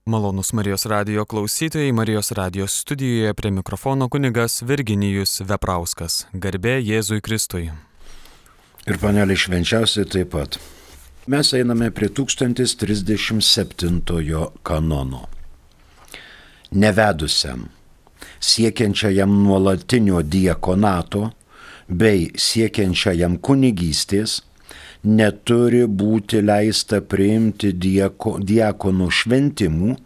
Malonus Marijos radijo klausytojai, Marijos radijos studijoje prie mikrofono kunigas Virginijus Veprauskas. Garbė Jėzui Kristui. Ir panelė švenčiausiai taip pat. Mes einame prie 1037 kanono. Nevedusiam, siekiančiajam nuolatinio diakonato bei siekiančiajam kunigystės neturi būti leista priimti diakonų šventimų,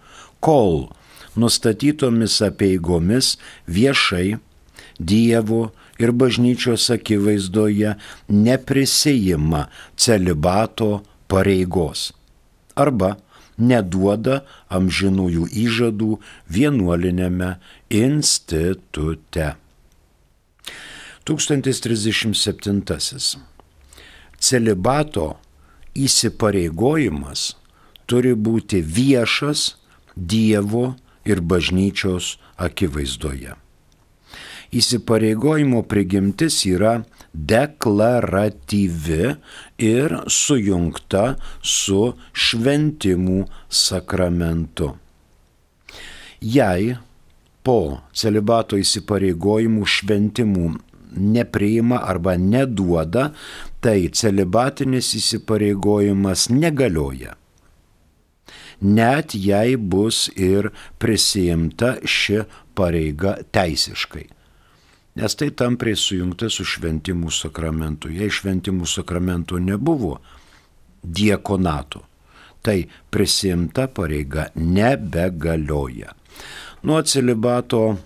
kol nustatytomis apeigomis viešai Dievo ir bažnyčios akivaizdoje neprisijima celibato pareigos arba neduoda amžinųjų įžadų vienuoliniame institute. 1037. Celibato įsipareigojimas turi būti viešas Dievo ir bažnyčios akivaizdoje. Įsipareigojimo prigimtis yra deklaratyvi ir sujungta su šventimų sakramentu. Jei po celibato įsipareigojimų šventimų nepriima arba neduoda, tai celibatinis įsipareigojimas negalioja. Net jei bus ir prisijimta ši pareiga teisiškai. Nes tai tampriai sujungta su šventimų sakramentu. Jei šventimų sakramentų nebuvo diakonato, tai prisijimta pareiga nebegalioja. Nuo celibato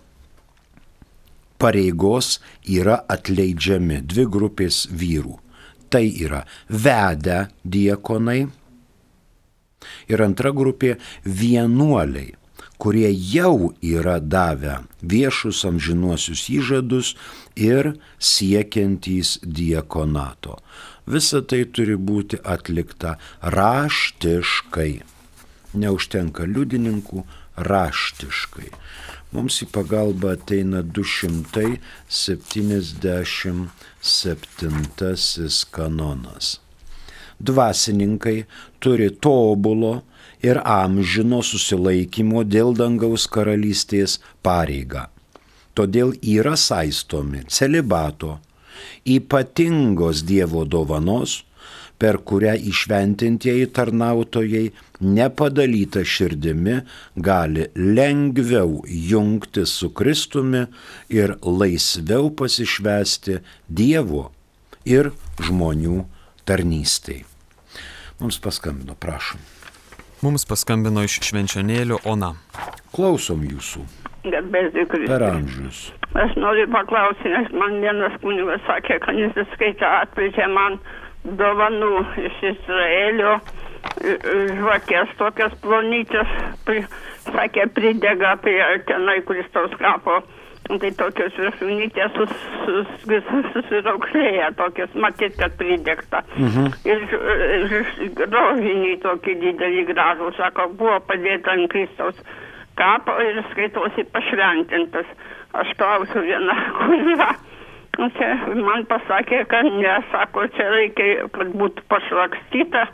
pareigos yra atleidžiami dvi grupės vyrų. Tai yra vedę diakonai ir antra grupė vienuoliai, kurie jau yra davę viešus amžinuosius įžadus ir siekiantys diakonato. Visa tai turi būti atlikta raštiškai. Neužtenka liudininkų, raštiškai. Mums į pagalbą ateina 277 kanonas. Dvasininkai turi tobulo ir amžino susilaikymo dėl dangaus karalystės pareigą. Todėl yra saistomi celibato, ypatingos Dievo dovanos, per kurią įšventintieji tarnautojai nepadalyta širdimi gali lengviau jungti su Kristumi ir laisviau pasišvęsti Dievo ir žmonių tarnystei. Mums paskambino, prašom. Mums paskambino iš Švenčionėlių Ona. Klausom jūsų. Garbėsiu Kristui. Per amžius. Aš noriu paklausyti, nes man vienas kunigas sakė, kad jis atvežė man dovanų iš Izraelio, žvakės tokias plonyčias, sakė, pridega prie tenai Kristaus kapo. Tai tokios viršūnytės susiraukšlėja, tokios, matyt, kad pridegta. Ir rožiniai tokį didelį gražų, sako, buvo padėta ant Kristaus kapo ir skaitosi pašventintas. Aš klausiu vieną kunigą. Man pasakė, kad ne, sako, čia reikia, kad būtų pašlakstyta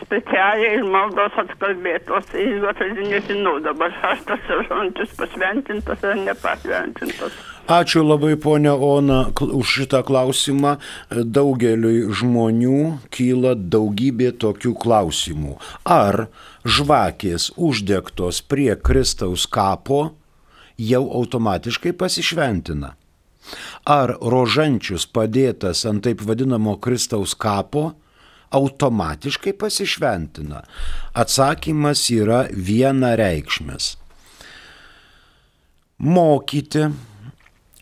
specialiai ir maldos atkalbėtos. Ir aš nežinau dabar, aš tas žodžius pašventintas ar nepašventintas. Ačiū labai, ponia Ona, už šitą klausimą. Daugeliui žmonių kyla daugybė tokių klausimų. Ar žvakės uždegtos prie Kristaus kapo jau automatiškai pasišventina? Ar rožančius padėtas ant taip vadinamo Kristaus kapo automatiškai pasišventina? Atsakymas yra vienareikšmis. Mokyti,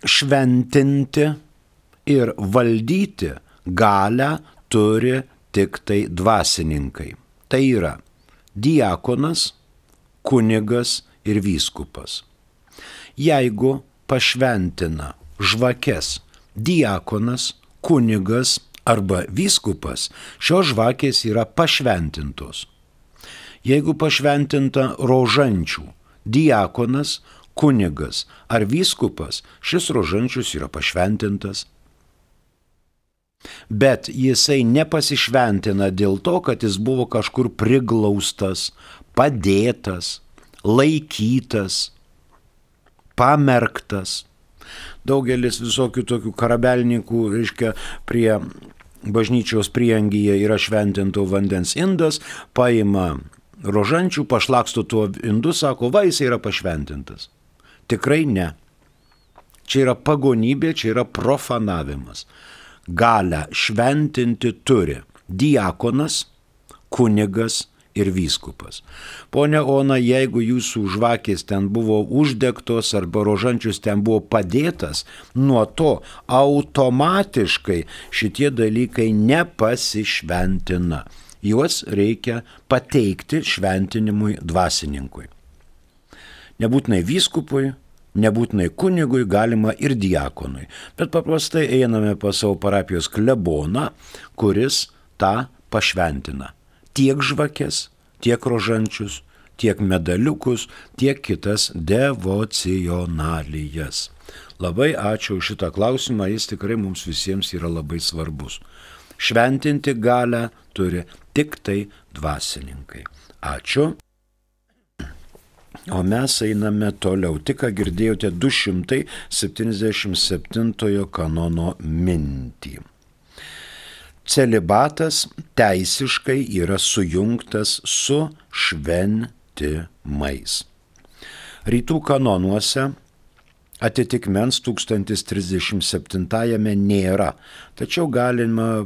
šventinti ir valdyti galią turi tik tai dvasininkai. Tai yra diakonas, kunigas ir vyskupas. Jeigu pašventina žvakes diakonas, kunigas arba vyskupas, šios žvakės yra pašventintos. Jeigu pašventinta rožančių diakonas, kunigas ar vyskupas, šis rožančius yra pašventintas. Bet jisai nepasišventina dėl to, kad jis buvo kažkur priglaustas, padėtas laikytas, pamerktas. Daugelis visokių tokių karabelininkų, reiškia, prie bažnyčios prieangyje yra šventinto vandens indas, paima rožančių, pašlaksto tuo indu, sako, va, jis yra pašventintas. Tikrai ne. Čia yra pagonybė, čia yra profanavimas. Galę šventinti turi diakonas, kunigas ir vyskupas. Pone Ona, jeigu jūsų žvakės ten buvo uždegtos arba rožančius ten buvo padėtas, nuo to automatiškai šitie dalykai nepasišventina. Juos reikia pateikti šventinimui dvasininkui. Nebūtinai vyskupui, nebūtinai kunigui, galima ir diakonui. Bet paprastai einame pas savo parapijos kleboną, kuris tą pašventina. Tiek žvakės, tiek rožančius, tiek medaliukus, tiek kitas devocionalijas. Labai ačiū už šitą klausimą, jis tikrai mums visiems yra labai svarbus. Šventinti galę turi tik tai dvasininkai. Ačiū. O mes einame toliau. Tik ką girdėjote 277 kanono mintį. Celibatas teisiškai yra sujungtas su šventimais. Rytų kanonuose atitikmens 1037 nėra, tačiau galima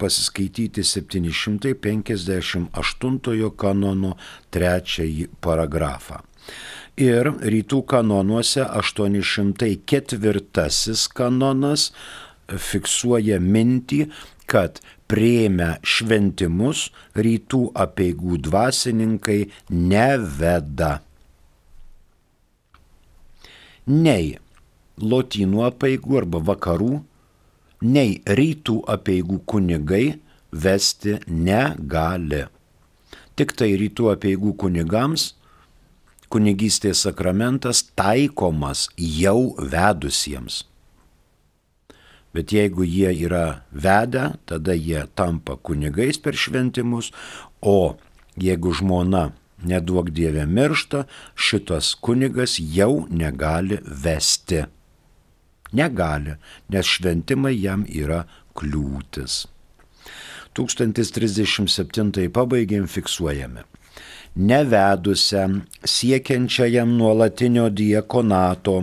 pasiskaityti 758 kanono 3 paragrafą. Ir rytų kanonuose 804 kanonas fiksuoja mintį, kad priėmę šventimus rytų apeigų dvasininkai neveda. Nei lotynų apeigų arba vakarų, nei rytų apeigų kunigai vesti negali. Tik tai rytų apeigų kunigams kunigystės sakramentas taikomas jau vedusiems. Bet jeigu jie yra vedę, tada jie tampa kunigais per šventimus, o jeigu žmona neduok Dieve miršta, šitas kunigas jau negali vesti. Negali, nes šventimai jam yra kliūtis. 1037 pabaigėm fiksuojame. Nevedusiam, siekiančiajam nuolatinio diakonato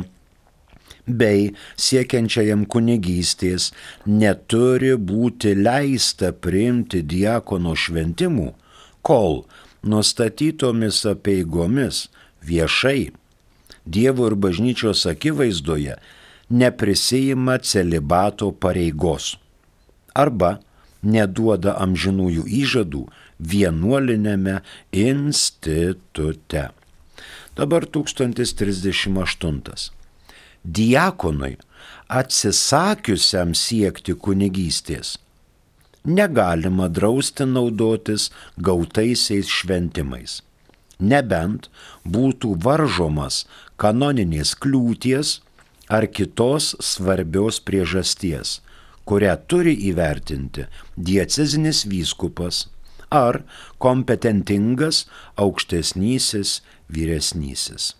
bei siekiančiajam kunigystės neturi būti leista priimti diakono šventimų, kol nustatytomis apeigomis viešai Dievo ir bažnyčios akivaizdoje neprisijima celibato pareigos arba neduoda amžinųjų įžadų vienuolinėme institute. Dabar 1038. Diakonui atsisakiusiam siekti kunigystės negalima drausti naudotis gautaisiais šventimais, nebent būtų varžomas kanoninės kliūties ar kitos svarbios priežasties, kurią turi įvertinti diecezinis vyskupas ar kompetentingas aukštesnysis vyresnysis.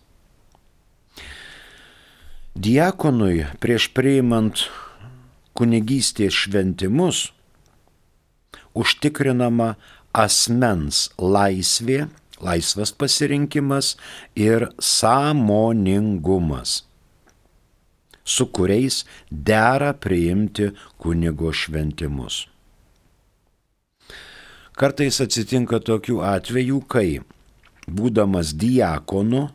Diakonui prieš priimant kunigystės šventimus užtikrinama asmens laisvė, laisvas pasirinkimas ir sąmoningumas, su kuriais dera priimti kunigo šventimus. Kartais atsitinka tokių atvejų, kai, būdamas diakonu,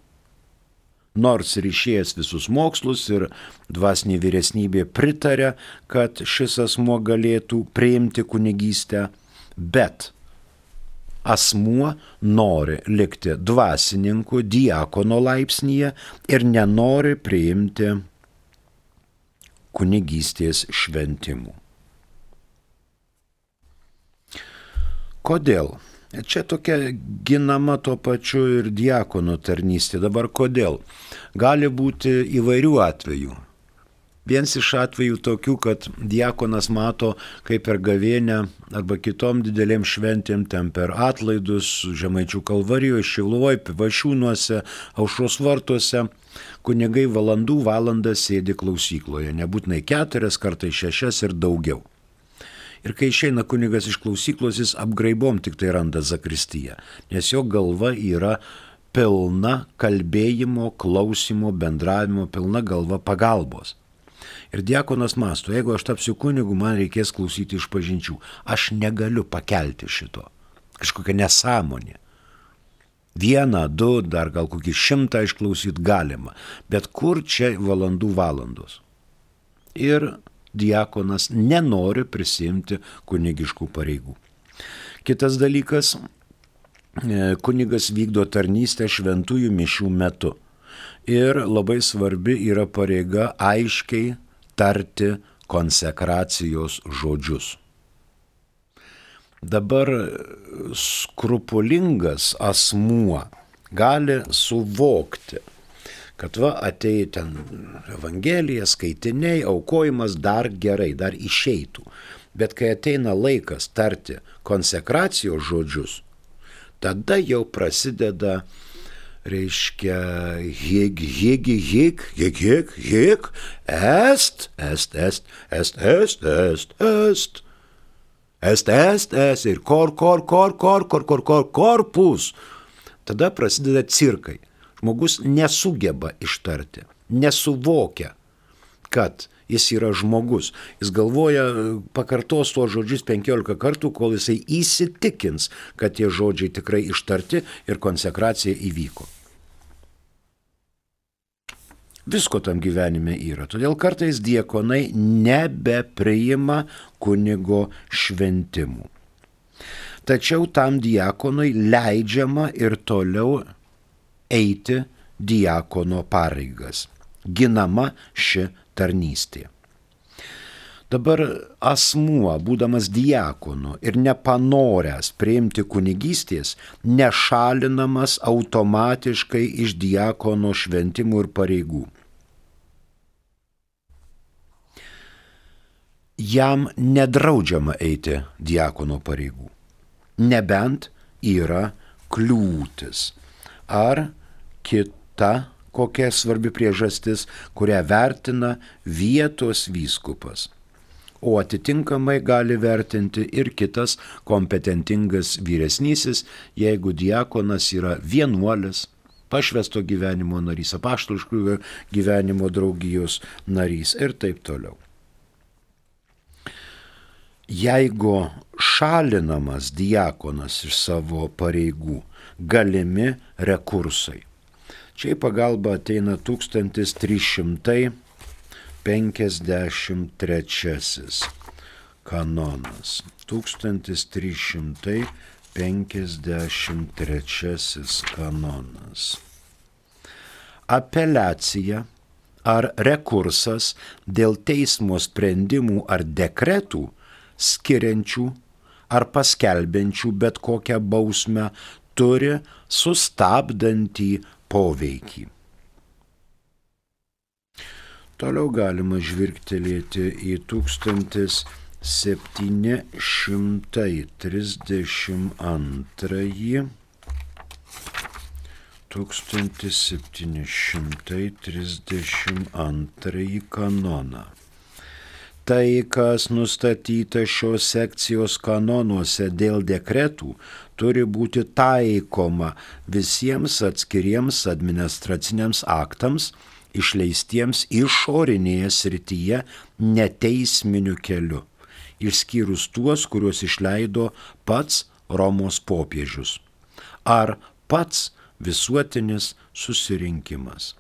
nors ir išėjęs visus mokslus ir dvasinė vyresnybė pritarė, kad šis asmuo galėtų priimti kunigystę, bet asmuo nori likti dvasininku diakono laipsnyje ir nenori priimti kunigystės šventimų. Kodėl? Čia tokia ginama tuo pačiu ir diakono tarnystė. Dabar kodėl? Gali būti įvairių atvejų. Vienas iš atvejų tokių, kad diakonas mato, kaip per gavėnę arba kitom didelėm šventėm, ten per atlaidus, Žemaičių Kalvarijoje, Šiluvoj, Pivašiūnuose, Aušros vartuose, kunigai valandas sėdi klausykloje, nebūtinai 4, kartais 6 ir daugiau. Ir kai išeina kunigas iš klausyklos, jis apgraibom tik tai randa zakristiją, nes jo galva yra pilna kalbėjimo, klausimo, bendravimo, pilna galva pagalbos. Ir diakonas mąsto, jeigu aš tapsiu kunigu, man reikės klausyti išpažinčių. Aš negaliu pakelti šito. Kažkokia nesąmonė. 1, 2, dar gal kokį 100 išklausyti galima. Bet kur čia valandos? Ir diakonas nenori prisimti kunigiškų pareigų. Kitas dalykas, kunigas vykdo tarnystę šventųjų mišių metu. Ir labai svarbi yra pareiga aiškiai tarti konsekracijos žodžius. Dabar skrupulingas asmuo gali suvokti, kad atėjo ten Evangelija, skaitiniai, aukojimas dar gerai, dar išeitų. Bet kai ateina laikas tarti konsekracijos žodžius, tada jau prasideda reiškia hig, est, ir korpus. Tada prasideda cirkai. Žmogus nesugeba ištarti, nesuvokia, kad jis yra žmogus. Jis galvoja, pakartos tuos žodžius 15 kartų, kol jisai įsitikins, kad tie žodžiai tikrai ištarti ir konsekracija įvyko. Visko tam gyvenime yra. Todėl kartais diakonai nebepriima kunigo šventimų. Tačiau tam diakonui leidžiama ir toliau eiti diakono pareigas. Ginama ši tarnystė. Dabar asmuo, būdamas diakonu ir nepanoręs priimti kunigystės, nešalinamas automatiškai iš diakono šventimų ir pareigų. Jam nedraudžiama eiti diakono pareigų, nebent yra kliūtis ar kita kokia svarbi priežastis, kurią vertina vietos vyskupas. O atitinkamai gali vertinti ir kitas kompetentingas vyresnysis, jeigu diakonas yra vienuolis, pašvęsto gyvenimo narys, apaštališkųjų gyvenimo draugijos narys ir taip toliau. Jeigu šalinamas diakonas iš savo pareigų, galimi rekursai. Čia į pagalbą ateina 1353 kanonas. 1353 kanonas. Apeliacija ar rekursas dėl teismo sprendimų ar dekretų skiriančių ar paskelbiančių bet kokią bausmę turi sustabdantį poveikį. Toliau galima žvilgtelėti į 1732 kanoną. Tai, kas nustatyta šios sekcijos kanonuose dėl dekretų, turi būti taikoma visiems atskiriems administraciniams aktams, išleistiems išorinėje srityje neteisminiu keliu, išskyrus tuos, kuriuos išleido pats Romos popiežius ar pats visuotinis susirinkimas.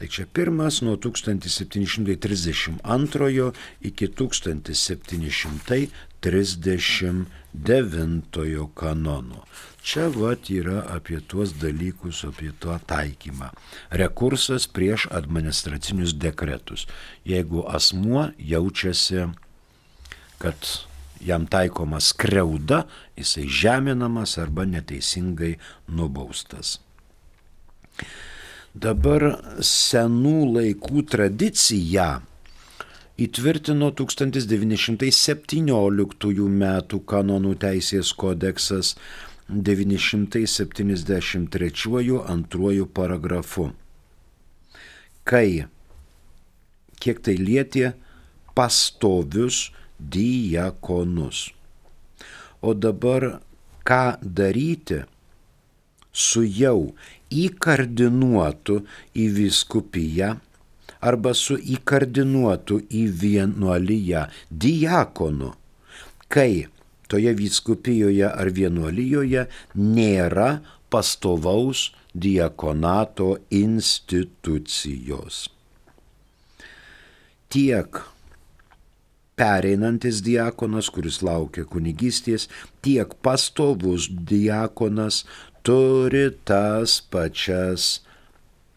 Tai čia pirmas nuo 1732 iki 1739 kanono. Čia yra apie tuos dalykus, apie to taikymą. Rekursas prieš administracinius dekretus. Jeigu asmuo jaučiasi, kad jam taikoma skriauda, jisai žeminamas arba neteisingai nubaustas. Dabar senų laikų tradiciją įtvirtino 1917 metų kanonų teisės kodeksas 973 antruoju paragrafu, kai kiek tai lietė pastovius diakonus. O dabar ką daryti su jau įkardinuotu į vyskupiją arba su įkardinuotu į vienuoliją diakonu, kai toje vyskupijoje ar vienuolijoje nėra pastovaus diakonato institucijos. Tiek pereinantis diakonas, kuris laukia kunigystės, tiek pastovus diakonas turi tas pačias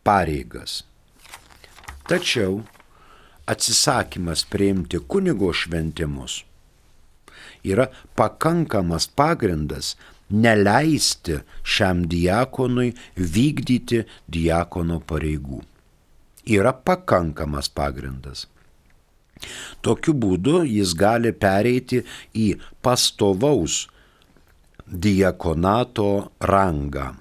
pareigas. Tačiau atsisakymas priimti kunigo šventimus yra pakankamas pagrindas neleisti šiam diakonui vykdyti diakono pareigų. Yra pakankamas pagrindas. Tokiu būdu jis gali pereiti į pastovaus diakonato rangą.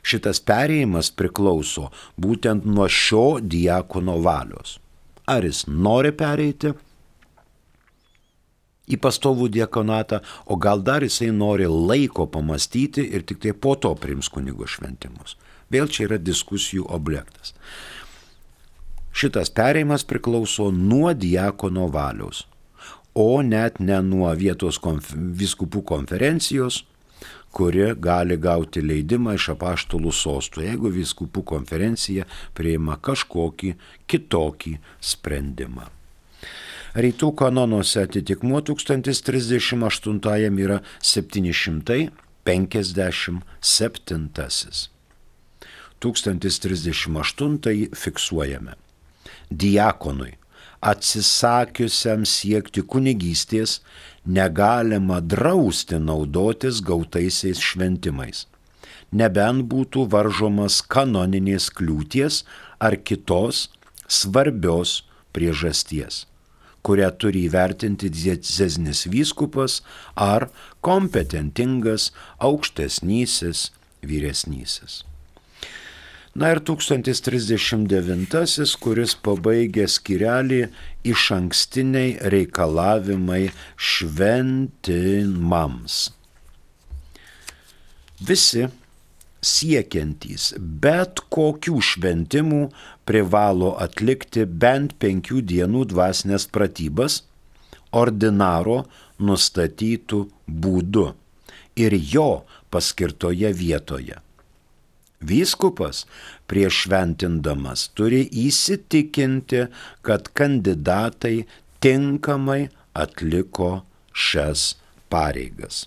Šitas perėjimas priklauso būtent nuo šio diakono valios. Ar jis nori pereiti į pastovų diakonatą, o gal dar jisai nori laiko pamastyti ir tik tai po to priims kunigo šventimus. Vėl čia yra diskusijų objektas. Šitas perėjimas priklauso nuo diakono valios, o net ne nuo vietos vyskupų konferencijos, kuri gali gauti leidimą iš apaštalų sostų, jeigu vyskupų konferencija priima kažkokį kitokį sprendimą. Rytų kanonuose atitikmuo 1038 yra 757. 1038 fiksuojame. Diakonui, atsisakiusiam siekti kunigystės, negalima drausti naudotis gautaisiais šventimais, nebent būtų varžomas kanoninės kliūties ar kitos svarbios priežasties, kurią turi įvertinti diecezinis vyskupas ar kompetentingas aukštesnysis vyresnysis. Na ir 1039, kuris pabaigė skyrelį išankstiniai reikalavimai šventimams. Visi siekiantys bet kokių šventimų privalo atlikti bent 5 dienų dvasinės pratybas ordinaro nustatytų būdu ir jo paskirtoje vietoje. Vyskupas prieš šventindamas turi įsitikinti, kad kandidatai tinkamai atliko šias pareigas.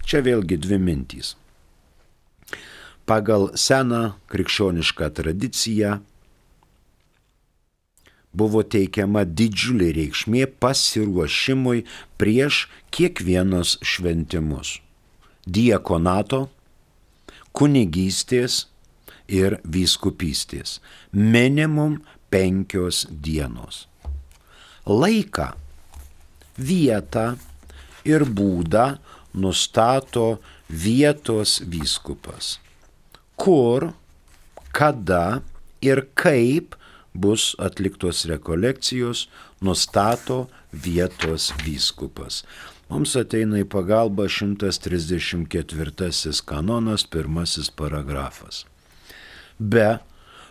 Čia vėlgi dvi mintys. Pagal seną krikščionišką tradiciją buvo teikiama didžiulė reikšmė pasiruošimui prieš kiekvienos šventimus – diakonato, kunigystės ir vyskupystės. Minimum 5 dienos. Laiką, vietą ir būdą nustato vietos vyskupas. Kur, kada ir kaip bus atliktos rekolekcijos, nustato vietos vyskupas. Mums ateina į pagalbą 134 kanonas, 1 paragrafas. Be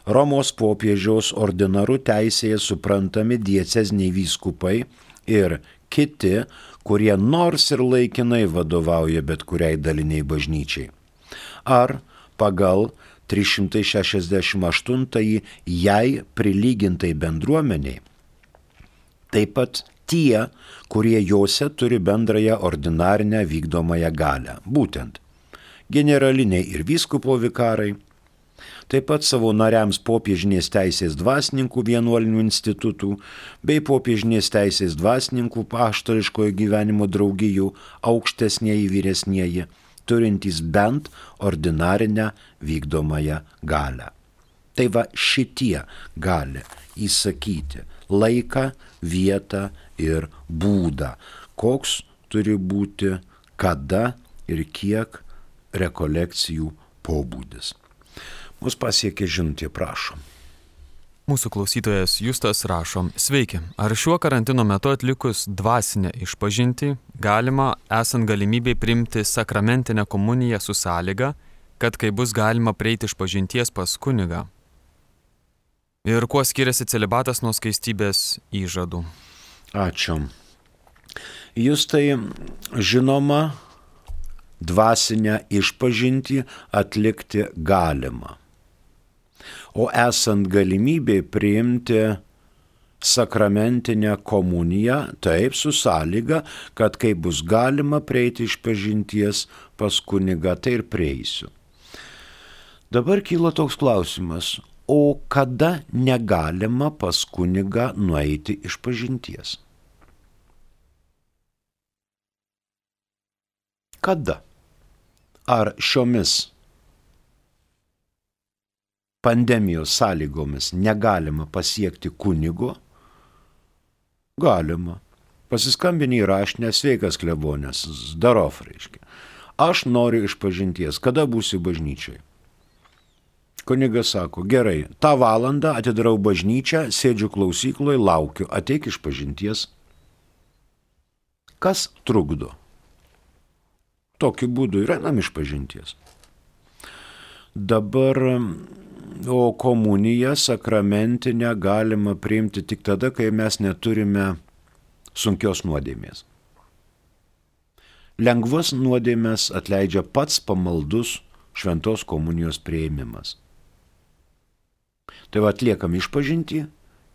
Romos popiežiaus ordinaru teisėje suprantami dieceziniai vyskupai ir kiti, kurie nors ir laikinai vadovauja bet kuriai daliniai bažnyčiai. Ar pagal 368 jai prilygintai bendruomeniai. Taip pat tie, kurie jose turi bendrąją ordinarinę vykdomąją galią, būtent generaliniai ir vyskupo vikarai, taip pat savo nariams popiežinės teisės dvasininkų vienuolinių institutų bei popiežinės teisės dvasininkų apaštališkojo gyvenimo draugijų aukštesnieji vyresnieji turintys bent ordinarinę vykdomąją galią. Tai va šitie gali įsakyti laiką, vietą ir būdą, koks turi būti, kada ir kiek rekolekcijų pobūdis. Mus pasiekė žinutė, prašom. Mūsų klausytojas Justas rašo: Sveiki, ar šiuo karantino metu atlikus dvasinę išpažintį galima, esant galimybei, priimti sakramentinę komuniją su sąlyga, kad kai bus galima prieiti išpažinties pas kunigą? Ir kuo skiriasi celibatas nuo skaistybės įžadų? Ačiū. Justai, žinoma, dvasinę išpažintį atlikti galima. O esant galimybei priimti sakramentinę komuniją, taip, su sąlyga, kad kai bus galima prieiti išpažinties pas kunigą, tai ir prieisiu. Dabar kyla toks klausimas, o kada negalima pas kunigą nueiti išpažinties? Kada? Ar šiomis pandemijos sąlygomis negalima pasiekti kunigo? Galima. Pasiskambini į raštinę, sveikas klebonės, zdarov, reiškia. Aš noriu išpažinties, kada būsi bažnyčiai? Kunigas sako, gerai, tą valandą atidarau bažnyčią, sėdžiu klausykloje, laukiu, ateik išpažinties. Kas trukdo? Tokiu būdu ir einam išpažinties. Dabar, o komuniją sakramentinę galima priimti tik tada, kai mes neturime sunkios nuodėmės. Lengvas nuodėmės atleidžia pats pamaldus šventos komunijos priėmimas. Tai va atliekam išpažintį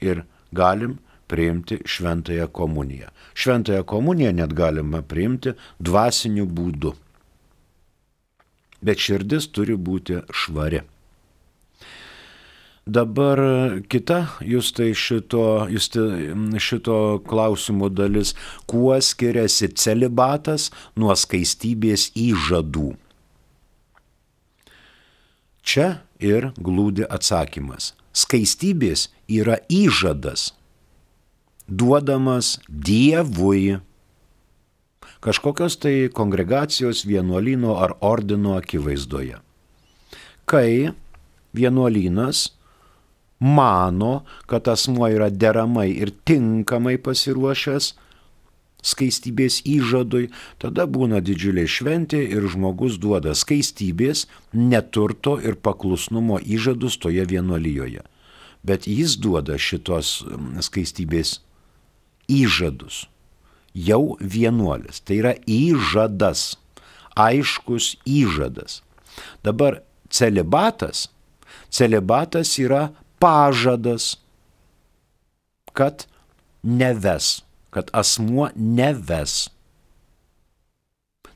ir galim priimti šventąją komuniją. Šventąją komuniją net galima priimti dvasiniu būdu. Bet širdis turi būti švari. Dabar kita Justai šito klausimo dalis, kuo skiriasi celibatas nuo skaistybės įžadų. Čia ir glūdi atsakymas. Skaistybės yra įžadas, duodamas Dievui, kažkokios tai kongregacijos, vienuolyno ar ordino akivaizdoje. Kai vienuolynas mano, kad asmuo yra deramai ir tinkamai pasiruošęs skaistybės įžadui, tada būna didžiulė šventė ir žmogus duoda skaistybės, neturto ir paklusnumo įžadus toje vienuolijoje. Bet jis duoda šitos skaistybės įžadus. Jau vienuolis. Tai yra įžadas. Aiškus įžadas. Dabar celibatas yra pažadas, kad neves, kad asmuo neves.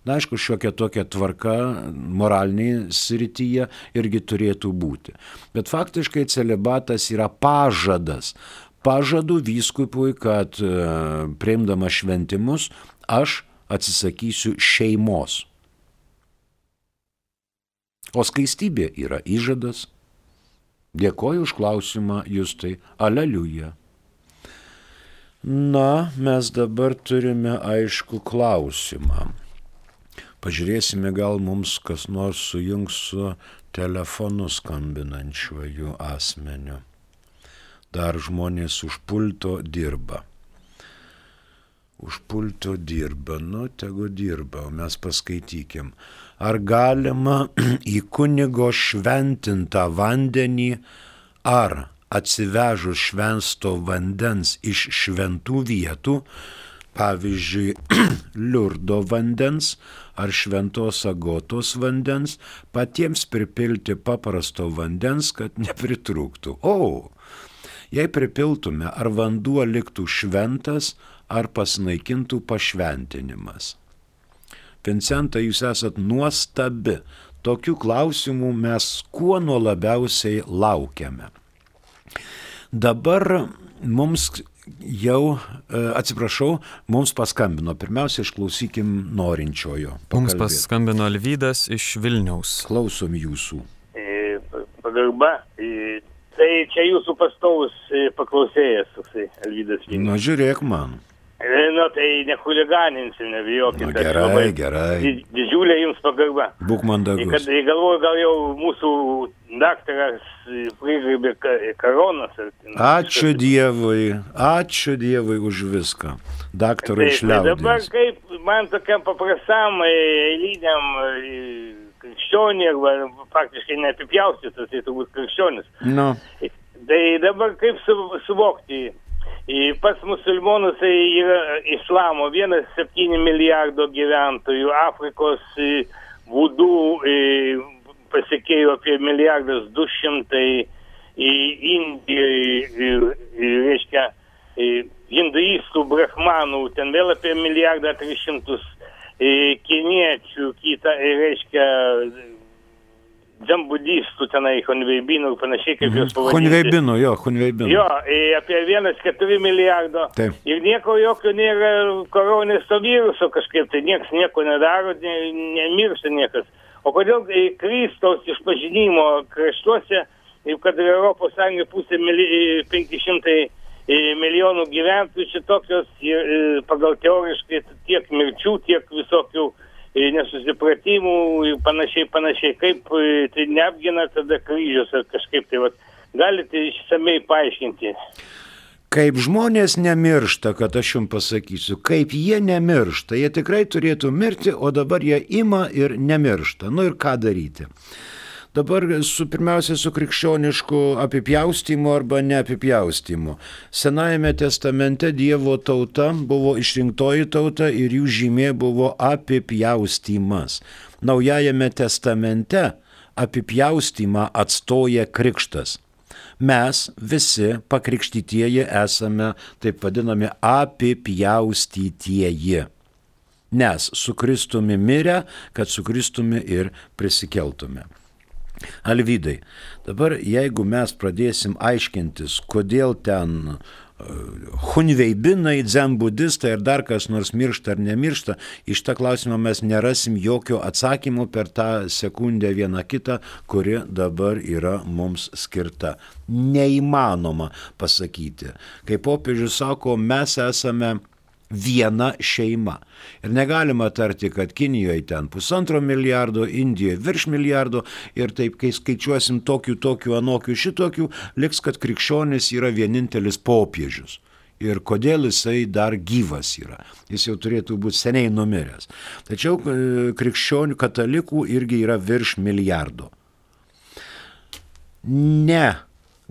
Na, aišku, šiokia tokia tvarka moralinėje srityje irgi turėtų būti. Bet faktiškai celibatas yra pažadas. Pažadu vyskupui, kad priimdamas šventimus aš atsisakysiu šeimos. O skaistybė yra įžadas. Dėkoju už klausimą, Justai. Aleliuja. Na, mes dabar turime aišku klausimą. Pažiūrėsime, gal mums kas nors sujungs su telefonu skambinančiuoju asmeniu. Dar žmonės už pulto dirba. Už pulto dirba, tegu dirba, o mes paskaitykim. Ar galima į kunigo šventintą vandenį ar atsivežus švensto vandens iš šventų vietų, pavyzdžiui, Liurdo vandens ar šventos Agotos vandens, patiems pripilti paprasto vandens, kad nepritrūktų? Jei pripiltume, ar vanduo liktų šventas, ar pasinaikintų pašventinimas? Vincenta, jūs esat nuostabi. Tokių klausimų mes kuo nuo labiausiai laukiame. Dabar mums Jau, atsiprašau, mums paskambino. Pirmiausia, išklausykim norinčiojo. Mums paskambino Alvydas iš Vilniaus. Klausom jūsų. Pagarba. Tai čia jūsų pastovus paklausėjas, toksai Alvydas Vilnius. Nu, žiūrėk man. Tai nechuliganinsim, nebijokit. Gerai. Didžiulė jums pagarba. Būk mandagus. Kad galvoju, gal jau mūsų daktaras prigraibė koronas. Ačiū Dievui už viską. Daktarui iš liaudies. Dabar kaip man tokiam paprastam, eiliniam krikščionį, arba faktiškai neapipjaustytas, tai turbūt krikščionis. No. Tai dabar kaip suvokti? Pas musulmonus yra islamo 1,7 milijardo gyventojų, Afrikos vudų pasekėjų apie 1,2 Indijoje, reiškia, hinduistų, brahmanų, ten vėl apie 1,3 kiniečių, kita, reiškia, dzembudistų tenai, hunveibinų ir panašiai, kaip jūs pavadinti. Hunveibinų. Jo, apie 1,4 milijardo. Taip. Ir nieko jokio nėra koronis to viruso kažkaip, tai nieks nieko nedaro, nemiršta niekas. O kodėl Kristaus išpažinimo kraštuose, kad Europos Sąjunga pusė 500 milijonų gyventojų šitokios, pagal teoriškai tiek mirčių, tiek visokių nesusipratimų ir panašiai, kaip tai neapgina tada kryžius ar kažkaip tai, galite išsamei paaiškinti. Kaip žmonės nemiršta, kad aš jums pasakysiu, kaip jie nemiršta, jie tikrai turėtų mirti, o dabar jie ima ir nemiršta. Nu ir ką daryti? Dabar pirmiausia su krikščionišku apipjaustymu arba neapipjaustymu. Senajame testamente Dievo tauta buvo išrinktoji tauta ir jų žymė buvo apipjaustymas. Naujajame testamente apipjaustymą atstoja krikštas. Mes visi pakrikštytieji esame taip vadinami apipjaustytieji. Nes su Kristumi mirę, kad su Kristumi ir prisikeltume. Alvydai, dabar jeigu mes pradėsim aiškintis, kodėl ten hunveibinai, dzenbudistai ir dar kas nors miršta ar nemiršta, iš tą klausimą mes nerasim jokio atsakymo per tą sekundę vieną kitą, kuri dabar yra mums skirta. Neįmanoma pasakyti. Kaip popiežius sako, mes esame viena šeima. Ir negalima tarti, kad Kinijoje ten 1,5 milijardo, Indijoje virš milijardo ir taip, kai skaičiuosim tokių, anokių, šitokių, liks, kad krikščionis yra vienintelis popiežius. Ir kodėl jisai dar gyvas yra. Jis jau turėtų būti seniai numiręs. Tačiau krikščionių katalikų irgi yra virš milijardo.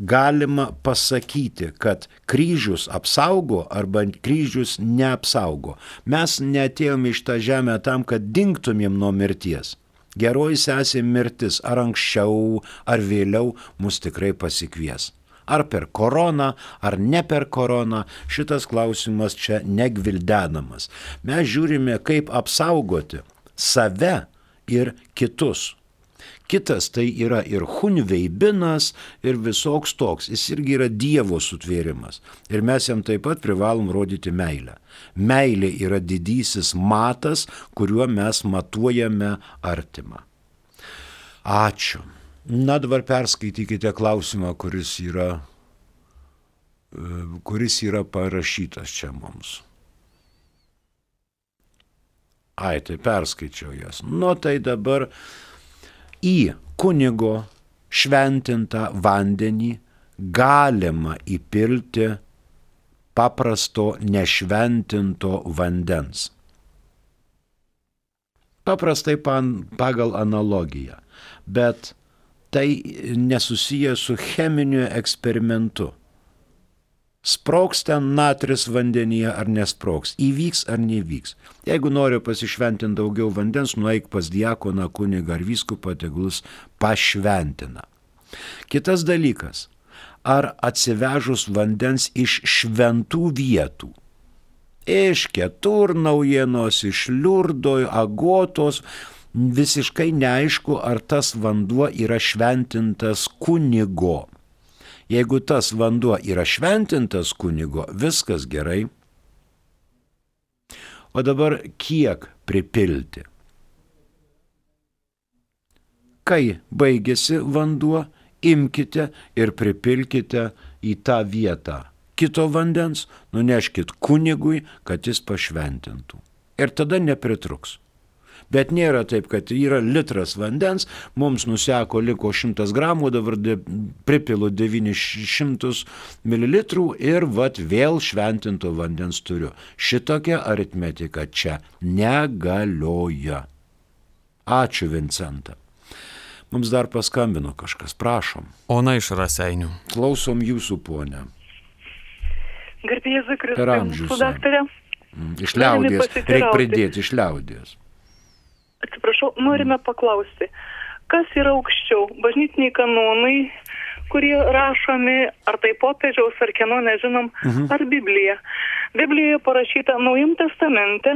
Galima pasakyti, kad kryžius apsaugo arba kryžius neapsaugo. Mes neatėjome iš tą žemę tam, kad dingtumėm nuo mirties. Geroji sesė mirtis ar anksčiau, ar vėliau mus tikrai pasikvies. Ar per koroną, ar ne per koroną, šitas klausimas čia negvildenamas. Mes žiūrime, kaip apsaugoti save ir kitus. Kitas tai yra ir hunveibinas, ir visoks toks. Jis irgi yra Dievo sutvėrimas. Ir mes jam taip pat privalom rodyti meilę. Meilė yra didysis matas, kuriuo mes matuojame artimą. Ačiū. Na, dabar perskaitykite klausimą, kuris yra parašytas čia mums. Tai perskaičiau jas. Nu, tai dabar į kunigo šventintą vandenį galima įpilti paprasto nešventinto vandens. Paprastai pagal analogiją, bet tai nesusiję su cheminiu eksperimentu. Sprogs ten natris vandenyje ar nesprogs, įvyks ar nevyks. Jeigu nori pasišventinti daugiau vandens, nueik pas diakoną, kunigą ar vyskupą, tegul pašventina. Kitas dalykas, ar atsivežus vandens iš šventų vietų, iš Keturnaujienos, iš Liurdo, Agotos, visiškai neaišku, ar tas vanduo yra šventintas kunigo. Jeigu tas vanduo yra šventintas kunigo, viskas gerai. O dabar kiek pripilti? Kai baigėsi vanduo, imkite ir pripilkite į tą vietą kito vandens, nuneškit kunigui, kad jis pašventintų. Ir tada nepritruks. Bet nėra taip, kad yra litras vandens, mums nuseko liko 100 gramų, dabar pripilu 900 mililitrų ir vėl šventinto vandens turiu. Šitokia aritmetika čia negalioja. Ačiū, Vincenta. Mums dar paskambino kažkas, prašom. Ona iš Raseinių. Klausom jūsų, ponė. Garbė Jėzui Kristui, Per amžius. mūsų daktarė. Iš liaudies, reikia pridėti iš liaudies. Atsiprašau, norime paklausti, kas yra aukščiau, bažnytiniai kanonai, kurie rašomi, ar tai popiežiaus, ar kieno, nežinom, ar Biblija. Biblijoje parašyta Naujam testamente,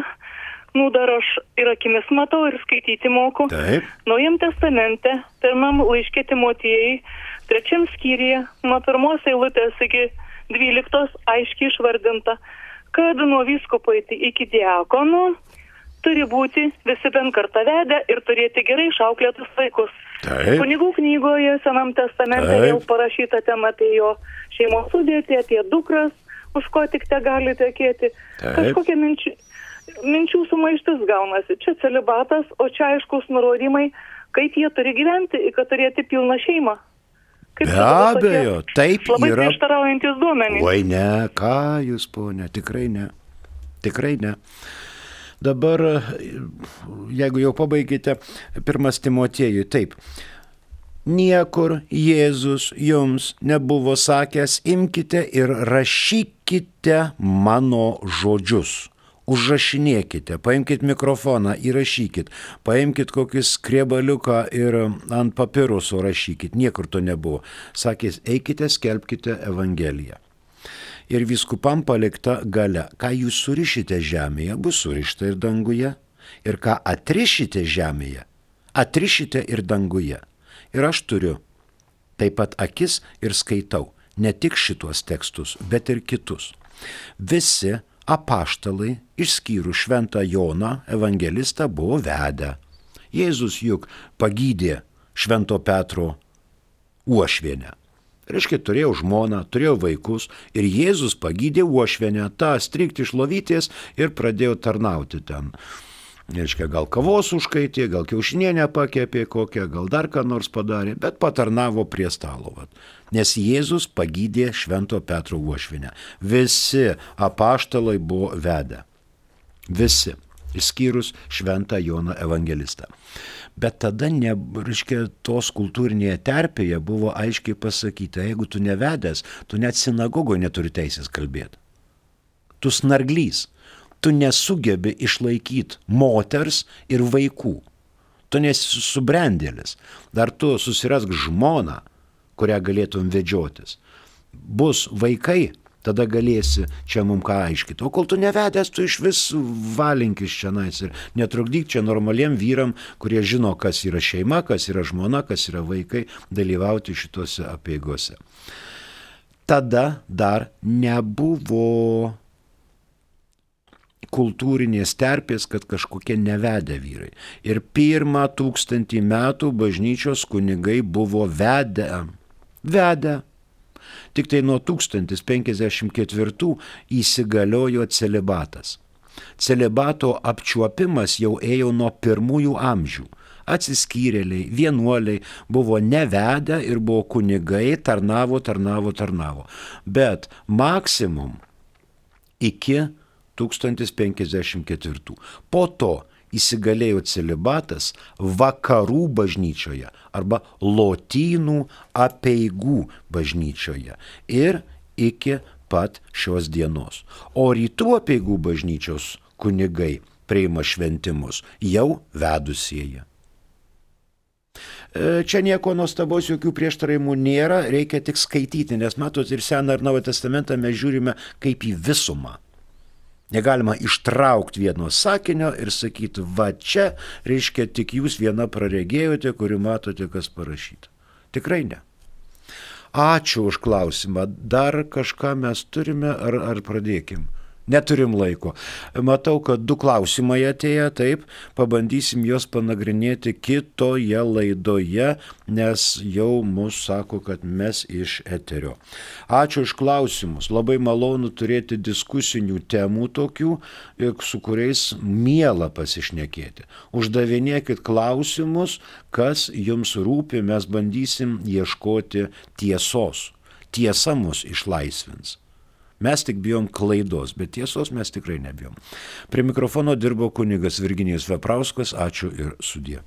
dar aš ir akimis matau ir skaityti moku. Taip. Naujam testamente, pirmam laiške Timotiejai, 3 skyriuje, nuo 1 eilutės iki 12 aiškiai išvardinta, kad nuo vyskupo iki diakonų turi būti visi bent kartą vedę ir turėti gerai išauklėtus vaikus. Taip. Kunigų knygoje Senam testamente vėl parašyta tema apie jo šeimos sudėtį, apie dukras, už ko tik te gali tekėti. Kažkokia minčių sumaištis gaunasi. Čia celibatas, o čia aiškus nurodymai, kaip jie turi gyventi, kad turėti pilną šeimą. Be abejo, taip labai yra. Labai prieštaraujantis duomenys. Oi ne, ką jūs, ponė, tikrai ne. Tikrai ne. Dabar, jeigu jau pabaigite, 1 Timotiejui, taip. Niekur Jėzus jums nebuvo sakęs, imkite ir rašykite mano žodžius. Užrašinėkite, paimkit mikrofoną, įrašykit, paimkit kokį skriebaliuką ir ant papiruso rašykit. Niekur to nebuvo. Sakė, eikite, skelbkite Evangeliją. Ir vyskupam palikta galia. Ką jūs surišite žemėje, bus surišta ir danguje. Ir ką atrišite žemėje, atrišite ir danguje. Ir aš turiu taip pat akis ir skaitau ne tik šitos tekstus, bet ir kitus. Visi apaštalai, išskyrus šventą Joną, evangelistą, buvo vedę. Jėzus juk pagydė švento Petro uošvienę. Reiškia, turėjau žmoną, turėjau vaikus ir Jėzus pagydė uošvienę, tą strikti iš lovytės ir pradėjo tarnauti ten. Reiškia, gal kavos užkaitė, gal kiaušinienę pakepė kokią, gal dar ką nors padarė, bet patarnavo prie stalo. Nes Jėzus pagydė švento Petro uošvienę. Visi apaštalai buvo vedę. Visi, išskyrus šventą Joną evangelistą. Bet tada, reiškia, tos kultūrinėje terpėje buvo aiškiai pasakyta, jeigu tu nevedęs, tu net sinagogoje neturi teisės kalbėti. Tu snarglys. Tu nesugebi išlaikyti moters ir vaikų. Tu nesi subrendėlis. Dar tu susirask žmoną, kurią galėtum vedžiotis. Bus vaikai, tada galėsi čia mums ką aiškiti. O kol tu nevedęs, tu iš vis valinkis čia nais ir netrukdyk čia normaliem vyram, kurie žino, kas yra šeima, kas yra žmona, kas yra vaikai, dalyvauti šitose apeigose. Tada dar nebuvo kultūrinės terpės, kad kažkokie nevedę vyrai. Ir 1000 metų bažnyčios kunigai buvo vedę. Tik tai nuo 1054 įsigaliojo celibatas. Celibato apčiuopimas jau ėjo nuo pirmųjų amžių. Atsiskyrėliai, vienuoliai buvo nevedę ir buvo kunigai, tarnavo. Bet maksimum iki 1054. Po to įsigalėjo celibatas vakarų bažnyčioje arba lotynų apeigų bažnyčioje ir iki pat šios dienos. O rytų apeigų bažnyčios kunigai priima šventimus jau vedusieji. Čia nieko nuostabaus, jokių prieštaravimų nėra, reikia tik skaityti, nes matot ir Seną ir Naują testamentą mes žiūrime kaip į visumą. Negalima ištraukti vieno sakinio ir sakyti, va čia, reiškia, tik jūs viena praregėjote, kuri matote, kas parašyta. Tikrai ne. Ačiū už klausimą. Dar kažką mes turime ar pradėkim? Neturim laiko. Matau, kad 2 klausimai atėjo, taip, pabandysim juos panagrinėti kitoje laidoje, nes jau mus sako, kad mes iš eterio. Ačiū už klausimus. Labai malonu turėti diskusinių temų tokių, su kuriais miela pasišnekėti. Uždavinėkit klausimus, kas jums rūpi, mes bandysim ieškoti tiesos. Tiesa mus išlaisvins. Mes tik bijom klaidos, bet tiesos mes tikrai nebijom. Prie mikrofono dirbo kunigas Virginijus Veprauskas. Ačiū ir sudie.